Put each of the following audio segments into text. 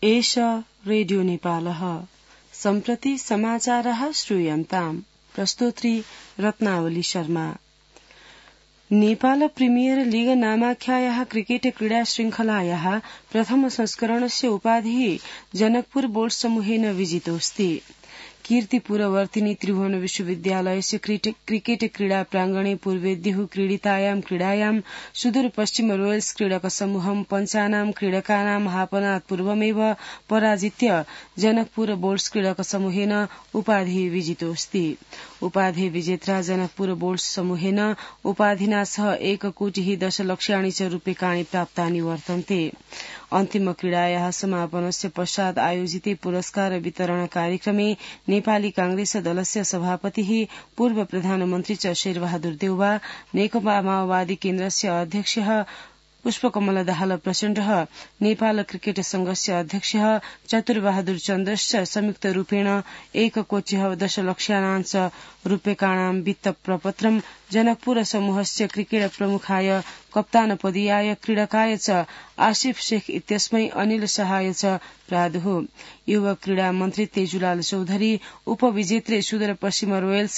एष रेडियो नेपालः सम्प्रति समाचारः श्रूयन्ताम् प्रस्तोत्री रत्नावली शर्मा। नेपाल प्रीमियर लीग नामाख्यायाः क्रिकेट क्रीडा शृङ्खलायाः प्रथम संस्करणस्य उपाधिः जनकपुर बोर्ड समूहेन विजितोऽस्ति। कीर्तिपुरवर्तिनी त्रिभुवन विश्वविद्यालयस्य क्रिकेट क्रीडा प्रांगणे पूर्वेद्युः क्रीडितायां क्रीडायां सुदूर पश्चिम रोयल्स क्रीडक समूहं पञ्चानां क्रीडकानां हापनात् पूर्वमेव पराजित्य जनकपुर बोर्ड्स क्रीडक समूहेन उपाधिः विजितोऽस्ति। उपाधि विजेत्रा जनकपुर बोर्ड्स समूहेन उपाधिना सह 1,10,00,000 च रूप्यकाणि प्राप्तानि वर्तन्ते। अन्तिम क्रीडायाः समापनस्य पश्चात् आयोजिते पुरस्कार वितरण कार्यक्रमे नेपाली कांग्रेस दलस्य सभापतिः पूर्व प्रधानमन्त्री च शेरबहादुर देउवा, नेकपा माओवादी केन्द्रस्य अध्यक्षः पुष्पकमल दाहाल प्रचण्डः, नेपाल क्रिकेट संघस्य अध्यक्षः चतुरबहादुर चन्द्रश्च संयुक्त रूपेण 1,10,00,000 रूप्यकाणां वित्त प्रपत्रं जनकपुर समूहस्य क्रिकेट प्रमुखाय कप्तानपदीयाय क्रीडकाय च आसिफ शेख इत्यस्मै अनिल शाहय च प्रादुः। युवा क्रीडा मन्त्री तेजुलाल चौधरी उपविजेत्रे सुदूर पश्चिम रोयल्स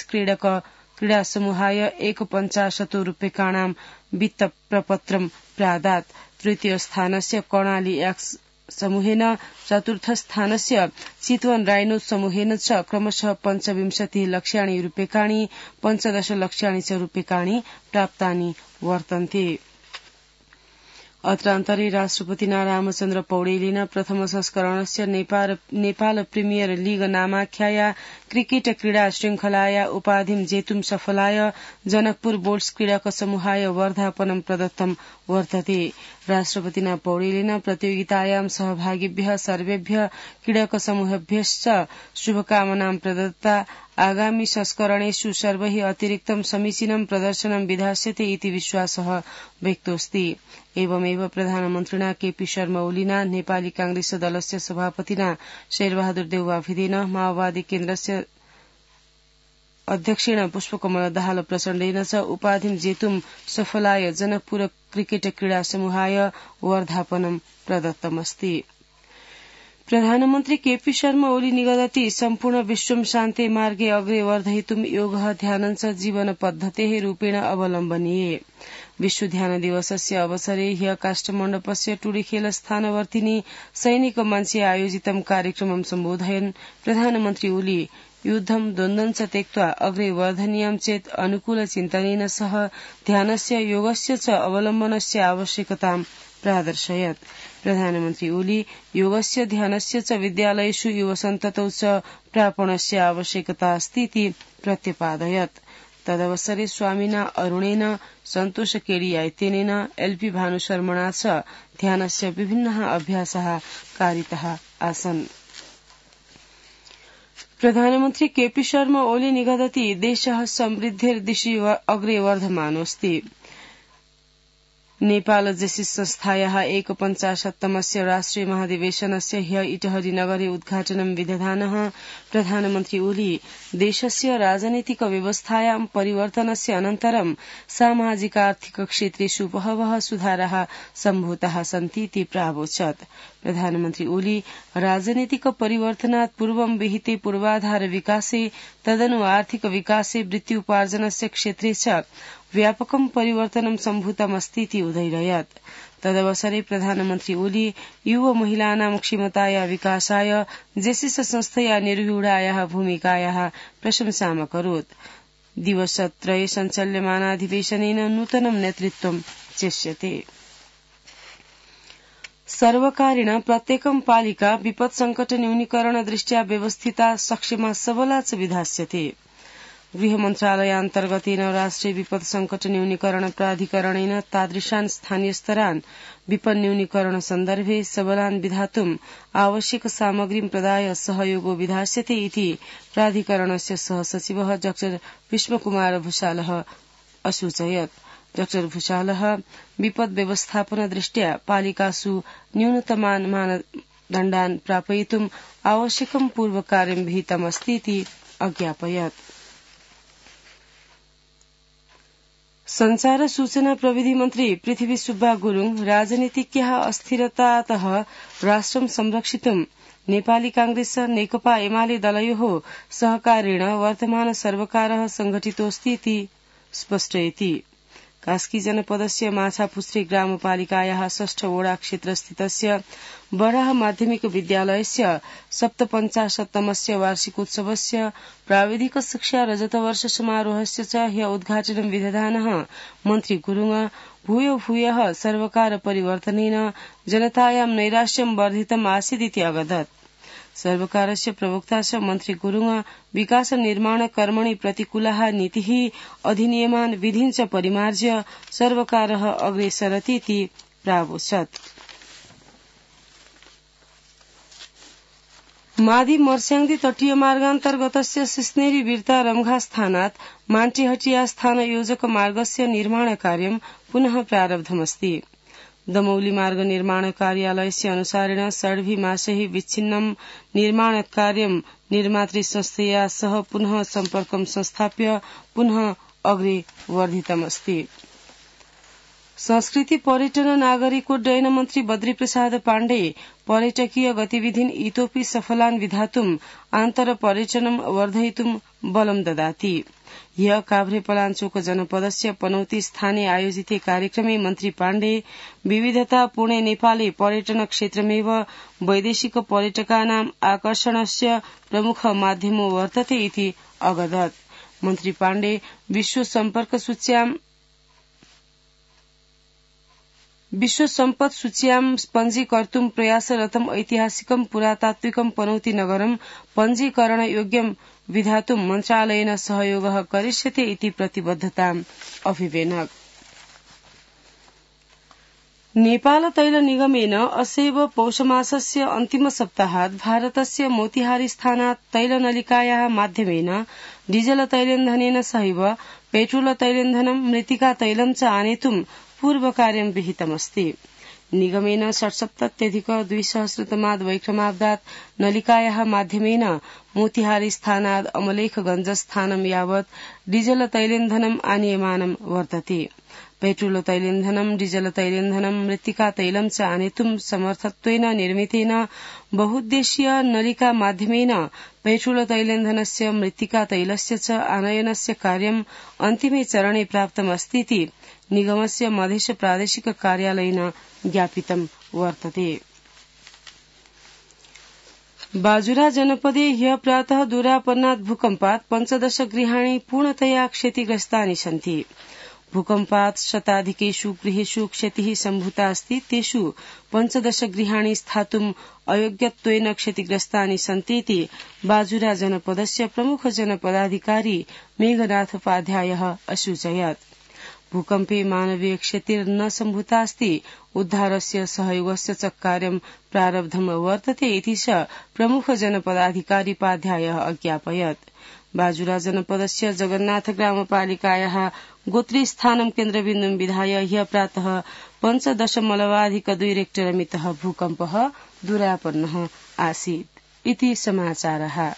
क्रीडा समूहाय 1,50 रूप्यकाणां वित्त प्रपत्रं प्रादात्। तृतीय स्थानस्य कर्णाली एक्स समूहेन, चतुर्थ स्थानस्य चितवन राइनो समूहेन च क्रमशः 25,00,000 रूप्यकाणि 15,00,000 च रूप्यकाणि प्राप्तानि वर्तन्ते। अत्रान्तरे राष्ट्रपतिना रामचन्द्र पौडेलेन प्रथम संस्करणस्य नेपाल प्रीमियर लीग नामाख्याया क्रिकेट क्रीडा शृङ्खलाया उपाधिं जेतुं सफलाय जनकपुर बोर्ड्स क्रीडक समूहाय वर्धापनं प्रदत्तं वर्तते। राष्ट्रपतिना पौडेलेन प्रतियोगितायां सहभागिभ्यः सर्वेभ्यः क्रीडक समूहेभ्यश्च शुभकामनां प्रदत्ता। आगामि संस्करणेषु सर्वैः अतिरिक्तं समीचीनं प्रदर्शनं विधास्यते इति विश्वासः व्यक्तोऽस्ति। एवमेव प्रधानमन्त्रिणा केपी शर्मा ओलीना, नेपाली कांग्रेस दलस्य सभापतिना शेरबहादुर देउवा भिदेन, माओवादी केन्द्रस्य अध्यक्षेण पुष्पकमल दाहाल प्रचण्डेन च उपाधिं जेतुं सफलाय जनकपुर क्रिकेट क्रीडा समूहाय वर्धापनं प्रदत्तमस्ति। प्रधानमन्त्री केपी शर्मा ओली निगदति सम्पूर्ण विश्वं शान्ते मार्गे अग्रे वर्धयितुं योगः ध्यानञ्च जीवन पद्धतेः रूपेण अवलम्बनीये। विश्व ध्यान दिवसस्य अवसरे ह्य काष्ठमण्डपस्य टुडीखेल स्थानवर्तिनी सैनिक मञ्चे आयोजितं कार्यक्रमं सम्बोधयन् प्रधानमन्त्री ओली युद्धं द्वन्द्वं च त्यक्त्वा अग्रे वर्धनीयं चेत् अनुकूल चिन्तनेन सह ध्यानस्य योगस्य च अवलम्बनस्य आवश्यकतां प्रादर्शयत्। प्रधानमन्त्री ओली योगस्य ध्यानस्य च विद्यालयेषु युवसन्ततौ च प्रापणस्य आवश्यकता अस्ति इति प्रत्यपादयत्। तदवसरे स्वामिना अरुणेन, सन्तोष केडियाइतेनेन, एलपी भानुशर्मणा च ध्यानस्य विभिन्नः अभ्यासः कारितः आसन्। प्रधानमन्त्री केपी शर्मा ओली निगदति देशः समृद्धिर्दिशि अग्रे वर्धमानोऽस्ति। नेपाल जेसिस संस्थायाः 150तमस्य राष्ट्रिय महाधिवेशनस्य ह्य इटहरी नगरे उद्घाटनं विदधानः प्रधानमन्त्री ओली देशस्य राजनीतिक व्यवस्थायां परिवर्तनस्य अनन्तरं सामाजिकार्थिक क्षेत्रेषु बहवः सुधाराः सम्भूताः सन्ति इति प्रावोचत्। प्रधानमन्त्री ओली राजनीतिक परिवर्तनात् पूर्वं विहिते पूर्वाधार विकासे तदनु आर्थिक विकासे वृत्त्युपार्जनस्य क्षेत्रे च व्यापकं परिवर्तनं सम्भूतमस्ति इति उदयरयत्। तदवसरे प्रधानमन्त्री ओली युव महिलानां क्षमताया विकासाय जेसिस संस्थया निर्व्यूढायाः भूमिकायाः प्रशंसामकरोत्। दिवसत्रये सञ्चाल्यमानाधिवेशनेन नूतनं नेतृत्वं चेष्यते। सर्वकारेण प्रत्येकं पालिका विपत् संकट न्यूनीकरण दृष्ट्या व्यवस्थिता सक्षमा सबला च विधास्यते। गृह मन्त्रालयान्तर्गतेन राष्ट्रिय विपत् संकट न्यूनीकरण प्राधिकरणेन तादृशान् स्थानीय स्तरान् विपत् न्यूनीकरण सन्दर्भे सबलान् विधातुम् आवश्यक सामग्रीं प्रदाय सहयोगो विधास्यते इति प्राधिकरणस्य सहसचिवः डॉ विश्वकुमार भूषालः असूचयत्। डॉ भूषालः विपत् व्यवस्थापन दृष्ट्या पालिकासु न्यूनतमान् मानदण्डान् प्रापयितुम् आवश्यकं पूर्वकार्यं विहितमस्ति इति अज्ञापयत्। संचार र सूचना प्रविधि मन्त्री पृथ्वी सुब्बा गुरूङ राजनीतिज्ञः अस्थिरतातः राष्ट्रं संरक्षितुं नेपाली कांग्रेस नेकपा एमाले दलयोः सहकारेण वर्तमान सर्वकारः संघटितोऽस्ति इति स्पष्टयति। कास्की जनपदस्य माछापुच्छ्रे ग्रामपालिकायाः 6 वडा क्षेत्रस्थितस्य बराह माध्यमिक विद्यालयस्य 57तमस्य वार्षिकोत्सवस्य प्राविधिक शिक्षा रजतवर्ष समारोहस्य च ह्य उद्घाटनं विदधानः मन्त्री गुरूङ भूयः सर्वकार परिवर्तनेन जनतायां नैराश्यं वर्धितम् आसीदिति अवदत्। सर्वकारस्य प्रवक्ता च मन्त्री गुरूङ विकास निर्माण कर्मणि प्रतिकूलाः नीतिः अधिनियमान् विधीन् च परिमार्ज्य सर्वकारः अग्रेसरति इति प्रावोचत्। मादी मर्स्याङ्दी तटीय मार्गान्तर्गतस्य सिस्नेरी बिर्ता रम्घा स्थानात् मान्टीहटिया स्थान योजक मार्गस्य निर्माण कार्यं पुनः प्रारब्धमस्ति। दमौली मार्ग निर्माण कार्यालयस्य अनुसारेण षड्भि मासैः विच्छिन्नं निर्माण कार्यं निर्मातृ संस्थया सह पुनः सम्पर्कं संस्थाप्य पुनः अग्रे वर्धितमस्ति। संस्कृति पर्यटन नागरिकोड्डयन मन्त्री बद्री प्रसाद पाण्डे पर्यटकीय गतिविधीन् इतोपि सफलान् विधातुम् आन्तर पर्यटनं वर्धयितुं बलं ददाति। ह्य काभ्रे पलाञ्चोक जनपदस्य पनौती स्थाने आयोजिते कार्यक्रमे मन्त्री पाण्डे विविधतापूर्णे नेपाले पर्यटन क्षेत्रमेव वैदेशिक पर्यटकानाम् आकर्षणस्य प्रमुख माध्यमो वर्तते इति अवदत्। मन्त्री पाण्डे विश्व सम्पद सूच्यां पञ्जीकर्तुं प्रयासरतं ऐतिहासिकं पुरातात्विकं पनौती नगरं पञ्जीकरणयोग्यं विधातुं मन्त्रालयेन सहयोगः करिष्यते इति प्रतिबद्धताम् अभिवेनक। नेपाल तैल निगमेन असैव पौषमासस्य अन्तिम सप्ताहात् भारतस्य मोतिहारी स्थानात् तैलनलिकायाः माध्यमेन डीजल तैलेन्धनेन सहैव पेट्रोल तैलेन्धनं मृत्तिका तैलं च आनेतुं पूर्वकार्यं विहितमस्ति। निगमेन 67,200 वैक्रमाब्दात् नलिकायाः माध्यमेन मोतिहारी स्थानात् अमलेखगंज स्थानं यावत् डीजल तैलेन्धनम् आनीयमानं वर्तते। पेट्रोल तैलेन्धनं डीजल तैलेन्धनं मृत्तिका तैलं च आनेतुं समर्थत्वेन निर्मितेन बहुद्देशीय नलिका माध्यमेन पेट्रोल तैलेन्धनस्य मृत्तिका तैलस्य च आनयनस्य कार्यम् अन्तिमे चरणे प्राप्तमस्तीति निगमस्य मधेश प्रादेशिक कार्यालयेन ज्ञापितं वर्तते। बाजुरा जनपदे ह्य प्रातः दूरापन्नात् भूकम्पात् 15 गृहाणि पूर्णतया क्षतिग्रस्तानि सन्ति। भूकम्पात् शताधिकेषु गृहेषु क्षतिः सम्भूता अस्ति। तेषु 15 गृहाणि स्थातुम् अयोग्यत्वेन क्षतिग्रस्तानि सन्तीति बाजुरा जनपदस्य प्रमुख जनपदाधिकारी मेघनाथ उपाध्यायः असूचयत्। भूकम्पे मानवीय क्षतिर्न सम्भूता अस्ति। उद्धारस्य सहयोगस्य च कार्यं प्रारब्धं वर्तते इति च प्रमुख जनपदाधिकारी उपाध्यायः अज्ञापयत्। बाजुरा जनपदस्य जगन्नाथ ग्रामपालिकायाः गोत्री स्थानं केन्द्रबिन्दुं विधाय ह्य प्रातः 5.2 रेक्टर मितः भूकम्पः दूरापन्नः आसीत् इति समाचारः।